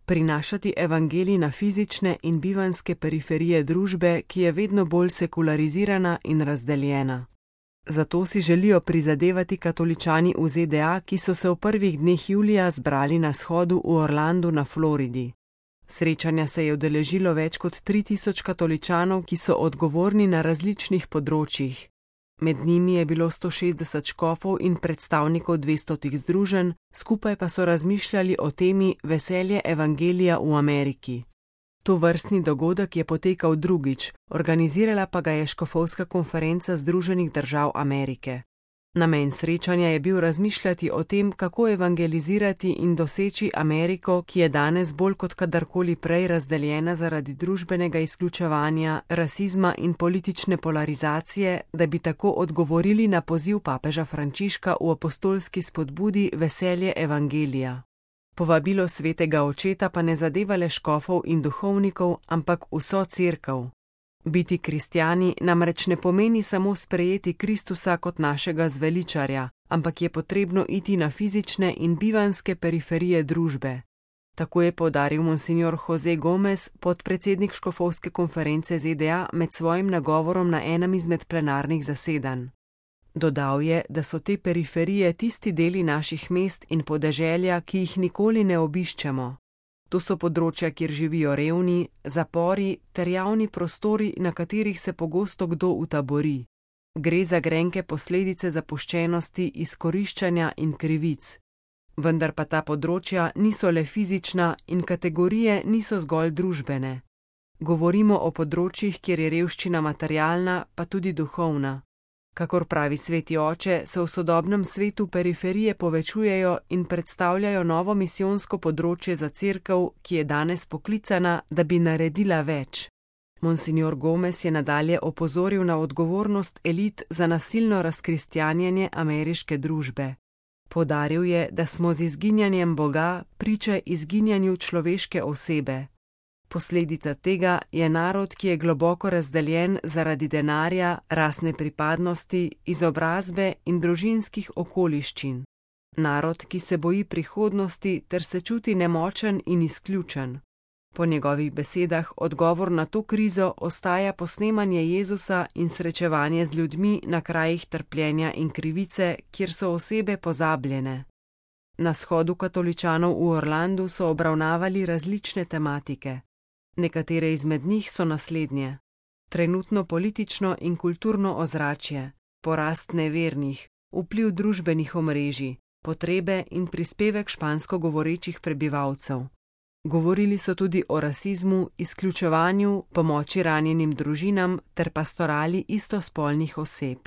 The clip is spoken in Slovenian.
prinašati evangelij na fizične in bivanjske periferije družbe, ki je vedno bolj sekularizirana in razdeljena. Zato si želijo prizadevati katoličani v ZDA, ki so se v prvih dneh julija zbrali na shodu v Orlandu na Floridi. Srečanja se je udeležilo več kot 3000 katoličanov, ki so odgovorni na različnih področjih. Med njimi je bilo 160 škofov in predstavnikov 200 združenj, skupaj pa so razmišljali o temi veselje evangelija v Ameriki. Tovrstni dogodek je potekal drugič, organizirala pa ga je škofovska konferenca Združenih držav Amerike. Namen srečanja je bil razmišljati o tem, kako evangelizirati in doseči Ameriko, ki je danes bolj kot kadarkoli prej razdeljena zaradi družbenega izključevanja, rasizma in politične polarizacije, da bi tako odgovorili na poziv papeža Frančiška v apostolski spodbudi veselje evangelija. Povabilo svetega očeta pa ne zadeva le škofov in duhovnikov, ampak vso cerkev. Biti kristjani namreč ne pomeni samo sprejeti Kristusa kot našega zveličarja, ampak je potrebno iti na fizične in bivanjske periferije družbe. Tako je poudaril monsignor Jose Gomez, podpredsednik škofovske konference ZDA, med svojim nagovorom na enem izmed plenarnih zasedanj. Dodal je, da so te periferije tisti deli naših mest in podeželja, ki jih nikoli ne obiščemo. To so področja, kjer živijo revni, zapori ter javni prostori, na katerih se pogosto kdo utabori. Gre za grenke posledice zapuščenosti, izkoriščanja in krivic. Vendar pa ta področja niso le fizična in kategorije niso zgolj družbene. Govorimo o področjih, kjer je revščina materialna, pa tudi duhovna. Kakor pravi sveti oče, se v sodobnem svetu periferije povečujejo in predstavljajo novo misijonsko področje za cerkev, ki je danes poklicana, da bi naredila več. Monsignor Gomez je nadalje opozoril na odgovornost elit za nasilno razkristjanjenje ameriške družbe. Poudaril je, da smo z izginjanjem Boga priče izginjanju človeške osebe. Posledica tega je narod, ki je globoko razdeljen zaradi denarja, rasne pripadnosti, izobrazbe in družinskih okoliščin. Narod, ki se boji prihodnosti ter se čuti nemočen in izključen. Po njegovih besedah odgovor na to krizo ostaja posnemanje Jezusa in srečevanje z ljudmi na krajih trpljenja in krivice, kjer so osebe pozabljene. Na shodu katoličanov v Orlandu so obravnavali različne tematike. Nekatere izmed njih so naslednje: trenutno politično in kulturno ozračje, porast nevernih, vpliv družbenih omrežij, potrebe in prispevek špansko govorečih prebivalcev. Govorili so tudi o rasizmu, izključevanju, pomoči ranjenim družinam ter pastorali istospolnih oseb.